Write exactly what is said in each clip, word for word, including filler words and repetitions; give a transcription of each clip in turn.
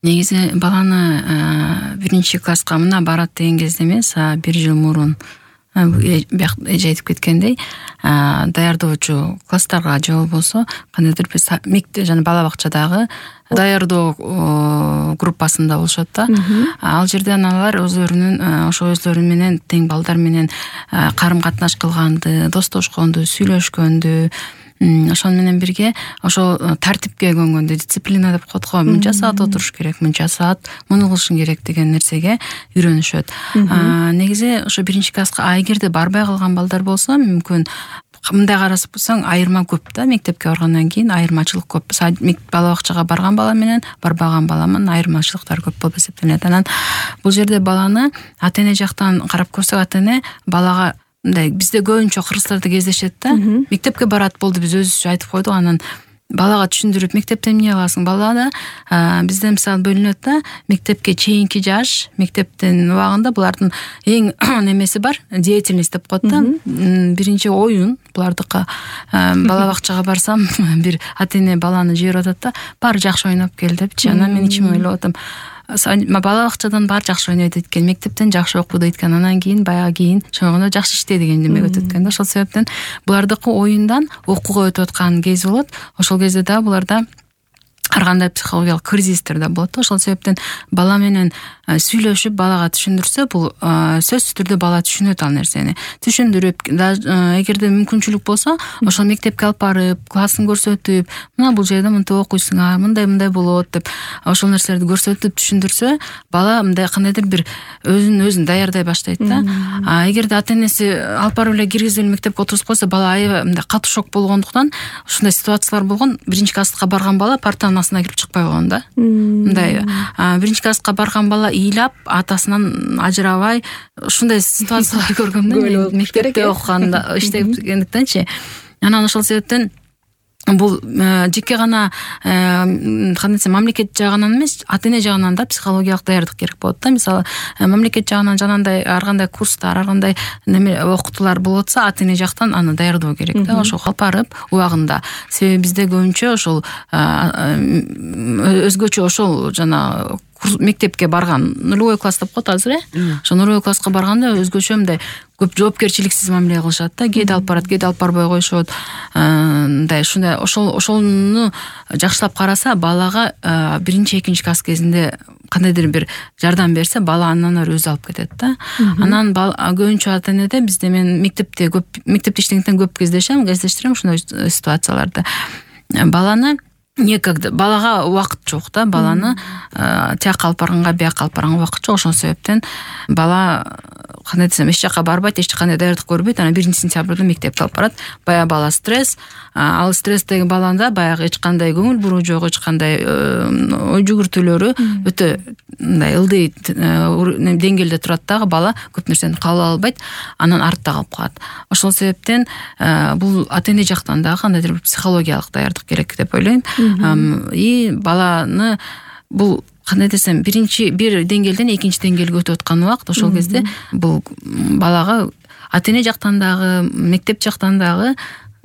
Негизи баланы биринчи класска мына барат деген кезде эмес, бир жыл мурун бияк эже айтып кеткендей, даярдоочу класстарга же болбосо кандайдыр бир мектеп жана бала бакчадагы даярдоо группасында болушат да. Ал жерде аналар өзлөрүнүн ошо өзлөрү менен тең балдар менен карым катнаш кылганды, достошконду, сүйлөшкөндү, ошон менен бирге ошо тартипке көнгөндү, дисциплина деп коет го, мынча саат отуруш керек, мынча саат муну кылышың керек деген нерсеге үйрөнүшөт. Негизи ошо биринчи класска а эгерде барбай калган балдар болсо, мүмкүн мындай карасып болсоң айырма көп да, мектепке баргандан кийин айырмачылык көп. Бала бакчага барган бала менен барбаган баланын айырмачылыктары көп болуп эсептелет. Анан бул жерде баланы ата-эне жактан карап көрсөк, ата-эне балага мындай бизде көбүнчө кыргыздарда кездешет да. Мектепке барат болду, биз өзүбүзчө айтып койдук, анан балага түшүндүрүп мектептен эмне аласың? Бала да бизде мисалы бөлүнөт да, мектепке чейинки жаш, мектептин убагында булардын эң немеси бар, деятельность деп коет да. Биринчи оюн булардыкы. Бала бакчага барсам, бир ата-эне баланы жиберип атат да, баары жакшы ойноп кел депчи. Анан мен ичиме ойлоп атам, бала бакчадан баары жакшы ойнойт экен, мектептен жакшы окуйт экен, анан кийин баягы кийин чоңойгондо жакшы иште деген демек өтөт экен да. Ошол себептен булардыкы оюндан окууга өтүп аткан кез болот. Ошол кезде да буларда ар кандай психологиялык кризистер да болот. Ошол себептен бала менен сүйлөшүп, балага түшүндүрсө, бул сөзсүз түрдө бала түшүнөт ал нерсени. Түшүндүрүп, эгерде мүмкүнчүлүк болсо, ошол мектепке алып барып, классын көрсөтүп, мына бул жерде мынтип окуйсуң, мындай-мындай болот деп, ошол нерселерди көрсөтүп түшүндүрсө, бала мындай кандайдыр бир өзүн өзүн даярдай баштайт да. А эгерде ата-энеси алып барып эле киргизип эле мектепке отургузуп койсо, бала аябай мындай катуу шок болгондуктан, ушундай ситуациялар болгон. Биринчи класска барган бала партанын астына кирип чыкпай койгон да. Мындай биринчи класска барган бала ыйлап, атасынан ажырабай, ушундай ситуациялар көргөм да. Мектепте окуганда, иштегендиктенчи. Анан ошол себептен бул жеке гана кандай десем, мамлекет жагынан эмес, ата-эне жагынан да психологиялык даярдык керек болот да. Мисалы, мамлекет жагынан жанагындай ар кандай курстар, ар кандай неме окутуулар болуп атса, ата-эне жактан аны даярдоо керек да. Ошо алып барып убагында. Себеби бизде көбүнчө ошол өзгөчө ошол жана мектепке барган нулевой класс деп коет азыр, э? Ошо нулевой класска барганда өзгөчө мындай көп жоопкерчиликсиз мамиле кылышат да. Кээде алып барат, кээде алып барбай коюшот. Мындай ушундай ошол ошону жакшылап караса, балага биринчи, экинчи класс кезинде кандайдыр бир жардам берсе, бала андан ары өзү алып кетет да. Анан көбүнчө ата-энеде бизде, мен мектепте көп мектепте иштегенден көп кездешем, кездештирем ушундай ситуацияларды. Баланы некогда, балага убакыт жок да, баланы тияка алып барганга, бияка алып барганга убакыт жок. Ошол себептен бала кандай десем, эч жака барбайт, эч кандай даярдык көрбөйт. Анан биринчи сентябрда мектепке алып барат. Баягы бала стресс, ал стресстеги баланда баягы эч кандай көңүл буруу жок, эч кандай ой жүгүртүүлөрү өтө мындай ылдый деңгээлде турат дагы, бала көп нерсени кабыл албайт, анан артта калып калат. Ошол себептен бул ата-эне жактан дагы кандайдыр бир психологиялык даярдык керек деп ойлойм. И баланы бул кандай десем, биринчи бир деңгээлден экинчи деңгээлге өтүп аткан убакыт, ошол кезде бул балага ата-эне жактан дагы, мектеп жактан дагы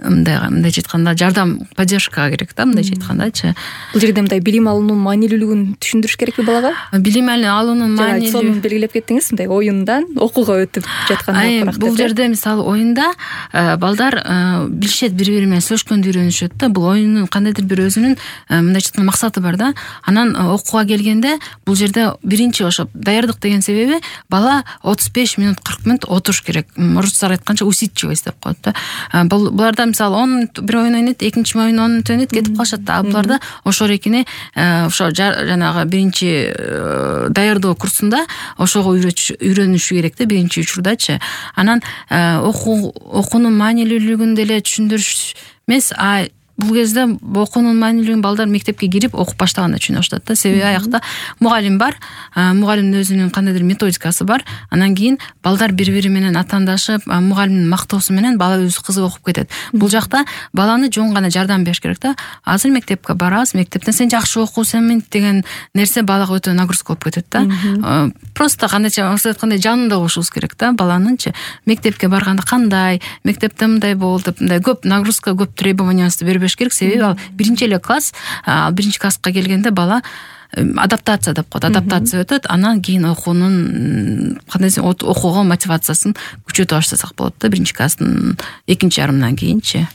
мындай мындай айтканда жардам, поддержка керек да, мындай айткандачы. Бул жерде мындай билим алуунун маанилүүлүгүн түшүндүрүш керекпи балага? Билим алуунун маанилүү, сонун белгилеп кеттиңиз, мындай оюндан окууга өтүп жатканда. Бул жерде мисалы оюнда балдар билишет, бири-бири менен сүйлөшкөндү үйрөнүшөт да. Бул оюндун кандайдыр бир өзүнүн мындай айтканда максаты бар да. Анан окууга келгенде бул жерде биринчи ошо даярдык деген себеби, бала отуз беш мүнөт, кырк мүнөт отуруш керек. Орустар айтканча усидчивость деп коет да. Буларда мисалы он мүнөт бир ойун ойнойт, экинчи ойун он мүнөт ойнойт, кетип калышат да. Буларда ошо эрекине ошо жанагы биринчи даярдоо курсунда ошого үйрөнүшү керек да, биринчи учурдачы. Анан окуу окуунун маанилүүлүгүн деле түшүндүрүш эмес, а бул кезде окуунун маанилүүлүгүн балдар мектепке кирип окуп баштаганда түшүнө баштайт да. Себеби аякта мугалим бар, мугалимдин өзүнүн кандайдыр методикасы бар. Анан кийин балдар бири-бири менен атаандашып, мугалимдин мактоосу менен бала өзү кызык окуп кетет. Бул жакта баланы жөн гана жардам бериш керек да. Азыр мектепке барабыз, мектептен сен жакшы окуусың деген нерсе балага өтө нагрузка болуп кетет да. Просто кандайча айткандай жанында болушубуз керек да баланынчы. Мектепке барганда кандай, мектепте мындай болду деп, мындай көп нагрузка, көп требованиясы бербеш керек. Себеби ал биринчи эле класс, ал биринчи класска келгенде бала адаптация деп коет. Адаптация өтөт, анан кийин окуунун кандай десем, окууга мотивациясын күчөтүп баштасак болот да биринчи класстын экинчи жарымынан кийинчи.